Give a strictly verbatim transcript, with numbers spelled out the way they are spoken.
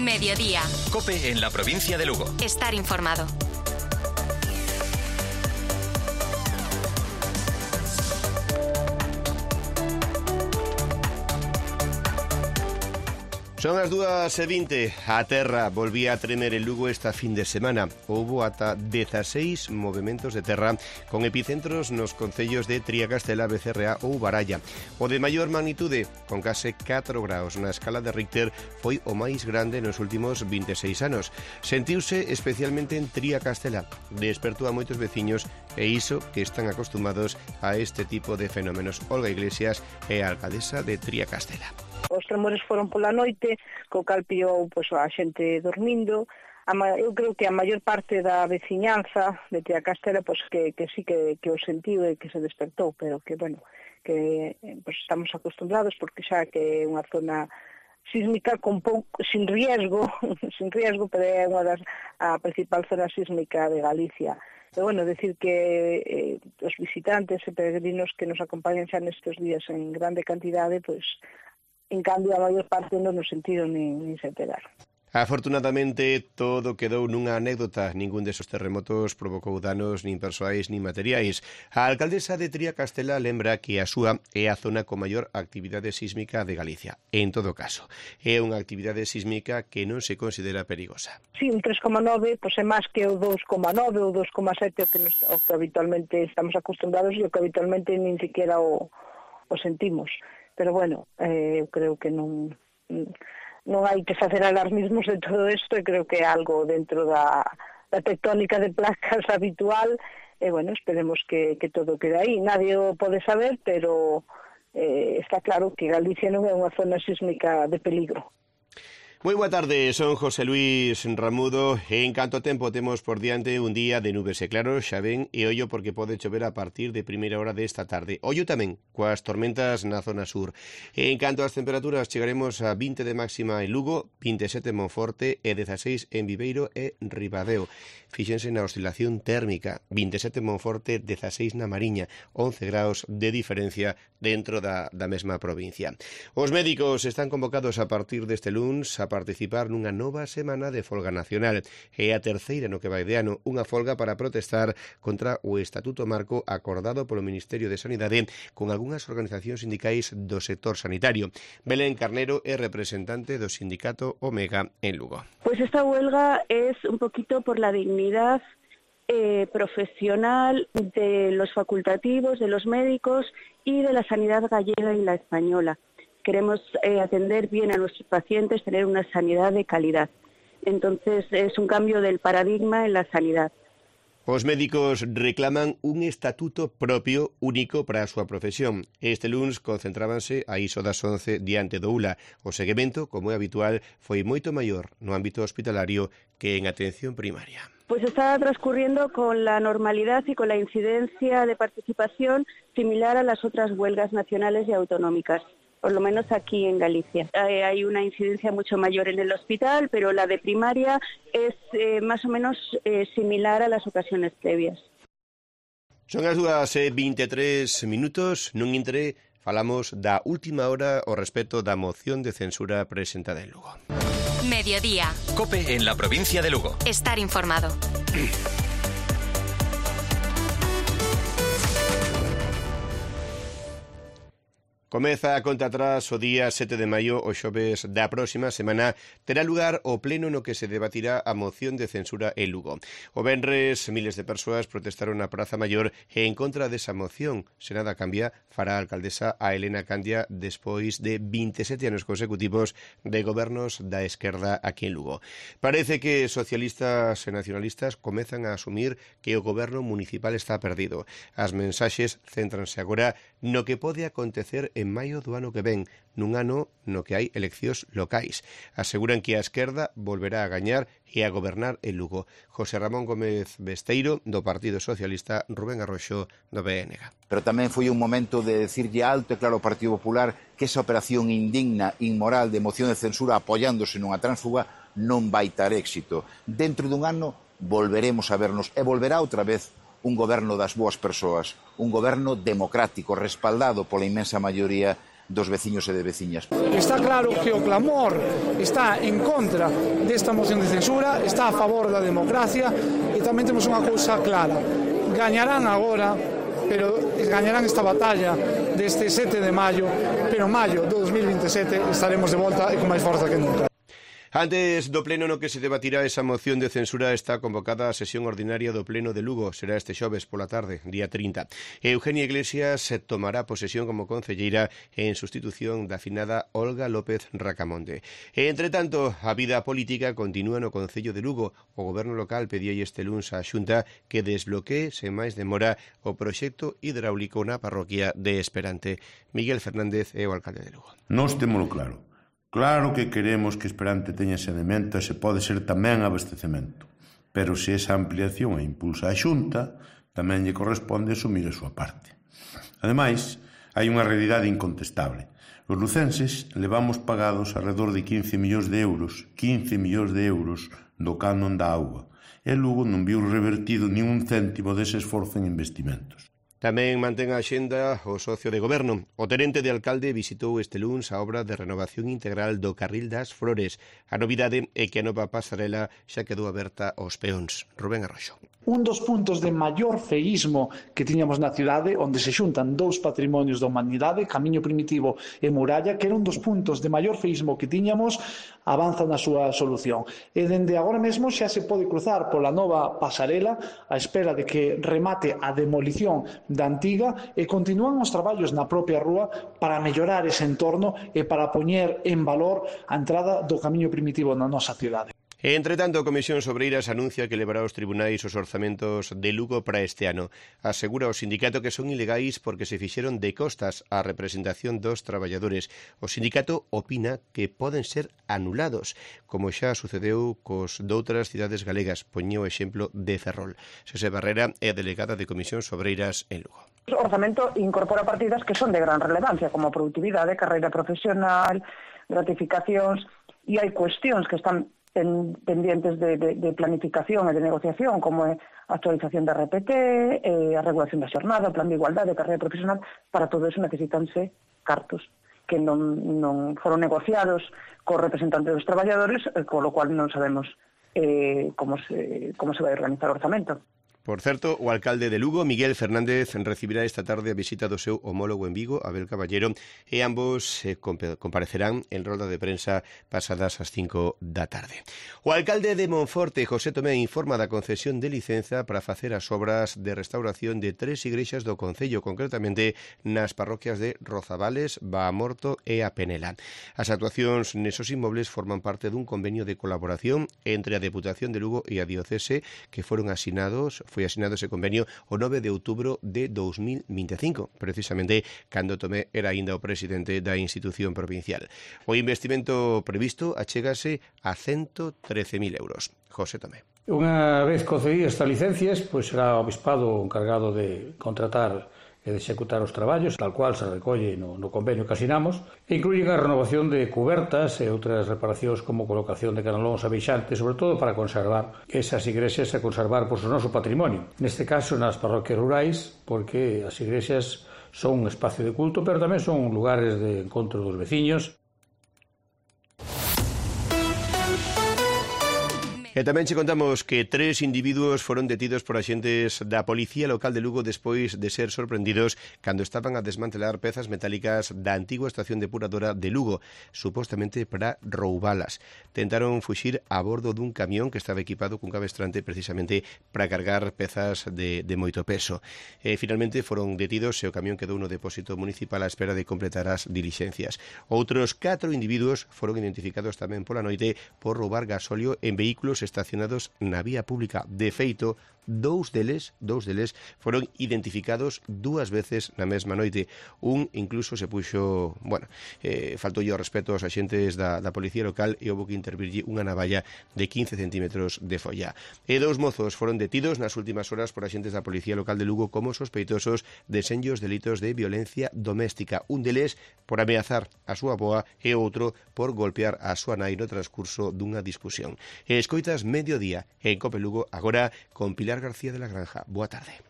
Mediodía. COPE en la provincia de Lugo. Estar informado. Son as dúas e vinte. A terra volvía a tremer en Lugo esta fin de semana. Houbo ata dezaseis movementos de terra con epicentros nos concellos de Triacastela, Becerra ou Baralla. O de maior magnitude, con case catro graus na escala de Richter, foi o máis grande nos últimos vinte e seis anos. Sentiuse especialmente en Triacastela. Despertou a moitos veciños e iso que están acostumados a este tipo de fenómenos. Olga Iglesias é a alcaldesa de Triacastela. Os tremores foron pola noite, co cal pillou pois, a xente dormindo. A ma... Eu creo que a maior parte da veciñanza de Triacastela pois, que, que sí que, que o sentiu e que se despertou, pero que, bueno, que pois, estamos acostumbrados porque xa que é unha zona sísmica con pouco, sin riesgo, sin riesgo, pero é unha das a principal zona sísmica de Galicia. Pero, bueno, decir que eh, os visitantes e peregrinos que nos acompañan xa nestes días en grande cantidade, pois, en cambio, a maior parte non nos sentido nin, nin se enteraron. Afortunadamente, todo quedou nunha anécdota. Ningún desos terremotos provocou danos nin persoais nin materiais. A alcaldesa de Triacastela lembra que a súa é a zona con maior actividade sísmica de Galicia. En todo caso, é unha actividade sísmica que non se considera perigosa. Sí, un tres coma nove, pois é máis que o dous coma nove ou dous coma sete o que, nos, o que habitualmente estamos acostumbrados e o que habitualmente nin siquiera o, o sentimos. Pero, bueno, eh, eu creo que non, non hai que facer alarmismos de todo isto e creo que é algo dentro da, da tectónica de placas habitual e, bueno, esperemos que, que todo quede aí. Nadie o pode saber, pero eh, está claro que Galicia non é unha zona sísmica de peligro. Moi boa tarde, son José Luis Ramudo e en canto tempo temos por diante un día de nubes e claros, xa ven, e ollo porque pode chover a partir de primeira hora desta tarde. Ollo tamén coas tormentas na zona sur. E en canto ás temperaturas chegaremos a vinte de máxima en Lugo, vinte e sete en Monforte e dezaseis en Viveiro e Ribadeo. Fíxense na oscilación térmica, vinte e sete en Monforte, dezaseis na Mariña, once graus de diferencia dentro da, da mesma provincia. Os médicos están convocados a partir deste luns a participar nunha nova semana de folga nacional. É a terceira no que vai de ano, unha folga para protestar contra o Estatuto Marco acordado polo Ministerio de Sanidade con algunhas organizacións sindicais do sector sanitario. Belén Carnero é representante do sindicato Omega en Lugo. Pues esta huelga es un poquito por la dignidad eh, profesional de los facultativos, de los médicos y de la sanidad gallega y la española. Queremos eh, atender bien a nuestros pacientes, tener una sanidad de calidad. Entonces, es un cambio del paradigma en la sanidad. Os médicos reclaman un estatuto propio único para a súa profesión. Este luns concentrábanse a iso das once diante do U L A. O seguimento, como é habitual, foi moito maior no ámbito hospitalario que en atención primaria. Pues está transcurriendo con la normalidad y con la incidencia de participación similar a las otras huelgas nacionales y autonómicas. Por lo menos aquí en Galicia. Eh, hay una incidencia mucho mayor en el hospital, pero la de primaria es eh, más o menos eh, similar a las ocasiones previas. Son as dúas e vinte e tres minutos, nun intre falamos da última hora ao respecto da moción de censura presentada en Lugo. Mediodía. COPE en la provincia de Lugo. Estar informado. Comeza a conta atrás o día sete de maio, o xoves da próxima semana, terá lugar o pleno no que se debatirá a moción de censura en Lugo. O venres, miles de persoas protestaron na Praza Maior e en contra desa moción. Se nada cambia, fará a alcaldesa a Elena Candia despois de vinte e sete anos consecutivos de gobernos da esquerda aquí en Lugo. Parece que socialistas e nacionalistas comezan a asumir que o goberno municipal está perdido. As mensaxes céntranse agora no que pode acontecer en maio do ano que ven, nun ano no que hai eleccións locais. Aseguran que a esquerda volverá a gañar e a gobernar en Lugo. José Ramón Gómez Besteiro, do Partido Socialista, Rubén Arroxo, do B N G. Pero tamén foi un momento de decirlle alto e claro ao Partido Popular que esa operación indigna, inmoral de moción de censura apoiándose nunha tránsfuga non vai ter éxito. Dentro dun ano volveremos a vernos e volverá outra vez un goberno das boas persoas, un goberno democrático, respaldado pola inmensa maioría dos veciños e de veciñas. Está claro que o clamor está en contra desta moción de censura, está a favor da democracia e tamén temos unha cousa clara. Gañarán agora, pero gañarán esta batalla deste sete de maio, pero maio do dos mil veintesete estaremos de volta e con máis forza que nunca. Antes do pleno no que se debatirá esa moción de censura está convocada a sesión ordinaria do pleno de Lugo. Será este xoves pola tarde, día trinta. Eugenia Iglesias tomará posesión como concelleira en sustitución da finada Olga López Racamonte. E, entre tanto, a vida política continúa no Concello de Lugo. O goberno local pedía este luns á Xunta que desbloquee sen máis demora o proxecto hidráulico na parroquia de Esperante. Miguel Fernández é o alcalde de Lugo. Nós témolo claro. Claro que queremos que Esperante teña saneamento e se pode ser tamén abastecemento. Pero se esa ampliación a impulsa a Xunta, tamén lle corresponde asumir a súa parte. Ademais, hai unha realidade incontestable. Os lucenses levamos pagados alrededor de quince millóns de euros, quince millóns de euros do canon da auga. E Lugo non viu revertido nin un céntimo dese esforzo en investimentos. Tamén mantén a axenda o socio de goberno. O tenente de alcalde visitou este luns a obra de renovación integral do Carril das Flores. A novidade é que a nova pasarela xa quedou aberta aos peóns. Rubén Arroxo. Un dos puntos de maior feísmo que tiñamos na cidade, onde se xuntan dous patrimonios da humanidade, Camiño Primitivo e Muralla, que era un dos puntos de maior feísmo que tiñamos, avanza na súa solución. E dende agora mesmo xa se pode cruzar pola nova pasarela á espera de que remate a demolición da antiga e continúan os traballos na propia rúa para mellorar ese entorno e para poñer en valor a entrada do Camiño Primitivo na nosa cidade. Entre tanto, a Comisión Sobreiras anuncia que levará aos tribunais os orzamentos de Lugo para este ano. Asegura o sindicato que son ilegais porque se fixeron de costas á representación dos traballadores. O sindicato opina que poden ser anulados, como xa sucedeu cos doutras cidades galegas. Poño o exemplo de Ferrol. Xosé Barrera é a delegada de Comisión Sobreiras en Lugo. O orzamento incorpora partidas que son de gran relevancia, como produtividade, carreira profesional, gratificacións, e hai cuestións que están pendientes de, de, de planificación e de negociación, como é a actualización da R P T, eh, a regulación da xornada, o plan de igualdade, a carreira profesional. Para todo eso necesitanse cartos que non, non foron negociados co representante dos traballadores, eh, con lo cual non sabemos eh, como, se, como se vai organizar o orzamento. Por certo, o alcalde de Lugo, Miguel Fernández, recibirá esta tarde a visita do seu homólogo en Vigo, Abel Caballero, e ambos eh, comparecerán en rolda de prensa pasadas as cinco da tarde. O alcalde de Monforte, José Tomé, informa da concesión de licenza para facer as obras de restauración de tres igrexas do concello, concretamente nas parroquias de Rozavales, Baamorto e a Penela. As actuacións nesos inmobles forman parte dun convenio de colaboración entre a Deputación de Lugo e a Diocese que foron asinados foi asinado ese convenio o nove de outubro de dos mil vinte e cinco, precisamente cando Tomé era aínda o presidente da institución provincial. O investimento previsto achégase a ciento trece mil euros. José Tomé. Unha vez concedidas estas licencias, pois será o Obispado o encargado de contratar e de executar os traballos, tal cual se recolle no, no convenio que asinamos, e incluyen a renovación de cubertas e outras reparacións como colocación de canalóns abeixantes, sobre todo para conservar esas igrexas e conservar pois, o noso patrimonio. Neste caso, nas parroquias rurais, porque as igrexas son un espacio de culto, pero tamén son lugares de encontro dos veciños. E tamén che contamos que tres individuos foron detidos por axentes da Policía Local de Lugo despois de ser sorprendidos cando estaban a desmantelar pezas metálicas da antigua estación depuradora de Lugo, supostamente para roubalas. Tentaron fuxir a bordo dun camión que estaba equipado cun cabestrante precisamente para cargar pezas de, de moito peso. E finalmente foron detidos e o camión quedou no depósito municipal á espera de completar as dilixencias. Outros catro individuos foron identificados tamén pola noite por roubar gasóleo en vehículos estacionados na vía pública. De feito, dous deles, dous deles foron identificados dúas veces na mesma noite. Un incluso se puxo, bueno, eh, faltou o respeto aos axentes da, da Policía Local e houve que intervirlle unha navalla de quince centímetros de folla. E dous mozos foron detidos nas últimas horas por axentes da Policía Local de Lugo como sospeitosos de senllos delitos de violencia doméstica. Un deles por ameazar a súa avoa e outro por golpear a súa nai no transcurso dunha discusión. E escoitas Mediodía en Cope Lugo, agora con Pilar García de la Granja. Boa tarde.